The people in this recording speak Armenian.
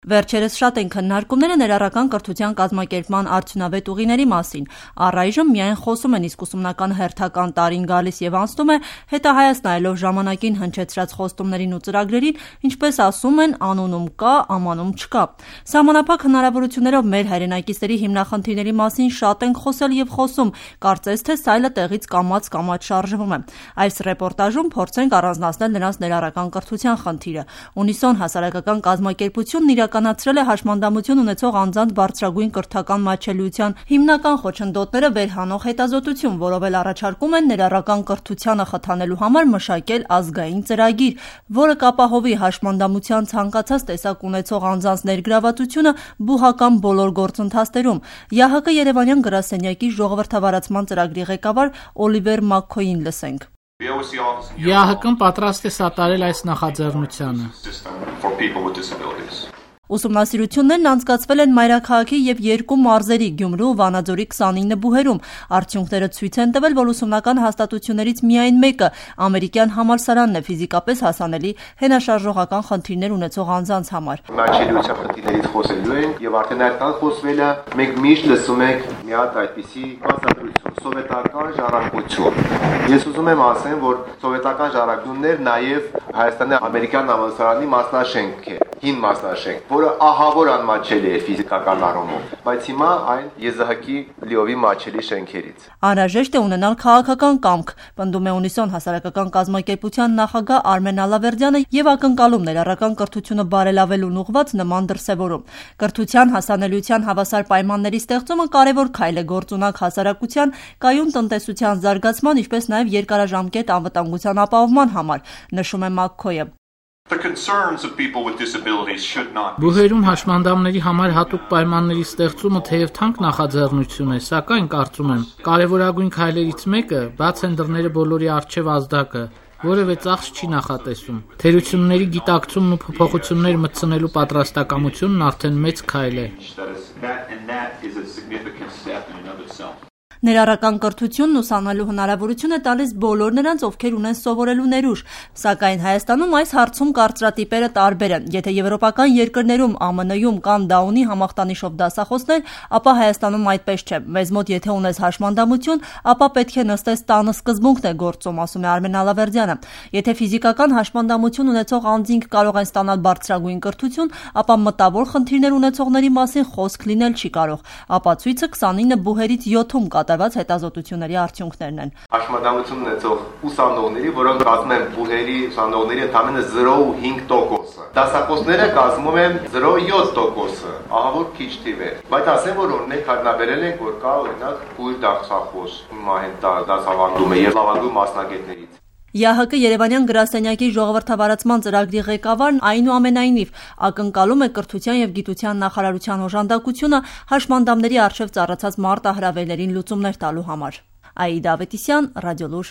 Վերջերս շատ են քննարկումները ներառական կրթության կազմակերպման արդյունավետ ուղիների մասին։ Առայժմ միայն խոսում են, իսկ ուսումնական հերթական տարին գալիս եւ անցնում է, հետահայաց նայելով ժամանակին հնչեցրած խոստումներին ու ծրագրերին, ինչպես ասում են, անունում կա, ամանում չկա։ Սահմանափակ հնարավորություններով մեր հայրենակիցների հիմնախնդիրների մասին շատ ենք խոսել եւ խոսում, կարծես թե սայլը տեղից կամաց շարժվում է։ Այս ռեպորտաժում փորձենք առանձնացնել նրանց ներառական կրթության խնդիրը։ Ունիսոն հասարակական կազմակերպությունն իրականացրել է հաշմանդամություն ունեցող անձանց բարձրագույն կրթական մատչելիության հիմնական խոչընդոտները վերհանող հետազոտություն, որով էլ առաջարկում են ներառական կրթությանը խթանելու համար մշակել ազգային ծրագիր, որը կապահովի հաշմանդամության ցանկացած տեսակ ունեցող անձանց ներգրավվածությունը բուհական բոլոր գործընթացներում։ ԵԱՀԿ Երևանյան գրասենյակի ժողովրդավարացման ծրագրի ղեկավար Օլիվեր Մաքքոյին լսենք։ ԵԱՀԿ-ն պատրաստ է սատարել այս նախաձեռնությանը։ Ուսումնասիրություններն անցկացվել են մայրաքաղաքի եւ երկու մարզերի՝ Գյումրու ու Վանաձորի 29 բուհերում։ Արդյունքները ցույց են տվել, որ ուսումնական հաստատություններից միայն մեկը՝ ամերիկյան համալսարանն է ֆիզիկապես հասանելի հենաշարժողական խնդիրներ ունեցող անձանց համար։ Մատչելիության խնդիրներից խոսելու ենք եւ արդեն այդքան խոսվել է, մենք միշտ լսում ենք մի հատ այդպիսի բացատրություն՝ սովետական ժառանգություն։ Ես ուզում եմ ասեմ, որ սովետական ժառանգությունն նաեւ Հայաստանի ամերիկյան համալսարանի մասնաշենք է, հին մասնաշենք, որը ահավոր անմատչելի է ֆիզիկական առումով, բայց հիմա այն ԵԶՀԿ-ի լիովին մատչելի շենքերից։ Անհրաժեշտ է ունենալ քաղաքական կամք, պնդում է Ունիսոն հասարակական կազմակերպության նախագահ Արմեն Ալավերդյանը եւ ակնկալում ներառական կրթությունը բարելավելուն ուղղված նման դրսեւորում։ Կրթության հասանելիության հավասար պայմանների ստեղծումը կարևոր քայլ է գործունակ հասարակության, կայուն տնտեսության զարգացման, ինչպես նաեւ երկարաժամկետ անվտանգության ապահովման համար, նշում է Մաքքոյը։ Բուհերում հաշմանդամների համար հատուկ պայմանների ստեղծումը թեև թանկ նախաձեռնություն է, սակայն կարծում եմ, կարևորագույն քայլերից մեկը բաց են դռները բոլորի առջև ազդակը, որևէ ծախս չի նախատեսում։ Թերությունների գիտակցումն ու փոփոխություններ մտցնելու պատրաստակամությունն արդեն մեծ քայլ է։ Ներառական կրթությունն ուսանելու հնարավորություն է տալիս բոլոր նրանց, ովքեր ունեն սովորելու ներուժ, սակայն Հայաստանում այս հարցում կարծրատիպերը տարբեր են։ Եթե եվրոպական երկրներում, ԱՄՆ-ում կան Դաունի համախտանիշով դասախոսներ, ապա Հայաստանում այդպես չէ։ Մեզ մոտ եթե ունես հաշմանդամություն, ապա պետք է նստես տանը սկզբունքն է գործում, ասում է Արմեն Ալավերդյանը։ Եթե ֆիզիկական հաշմանդամություն ունեցող անձինք կարող են ստանալ բարձրագույն կրթություն, ապա մտավոր խնդիրներ ունեցողների մասին խոսք լինել չի կարող։ Ապացույցը 29 բուհերից 7-ում կատարված հետազոտությունների արդյունքներն են։ Հաշմանդամություն ունեցող ուսանողների, որոնք կազմում են բուհերի ուսանողների ընդամենը 0.5%, դասախոսները կազմում են 0.7%, ահավոր քիչ թիվ է։ Բայց ասեմ, որ օրինակ հայտնաբերել ենք, որ կա օրինակ բուհի դասախոս դասավանդում է եւ լավագույն մասնագետներից։ ԵԱՀԿ Երևանյան գրասենյակի ժողովրդավարացման ծրագրի ղեկավարն այնուամենայնիվ ակնկալում է կրթության եւ գիտության նախարարության օժանդակությունը հաշմանդամների առջև ծառացած մարտահրավերներին լուծումներ տալու համար։ Աիդա Ավետիսյան, Ռադիոլուր։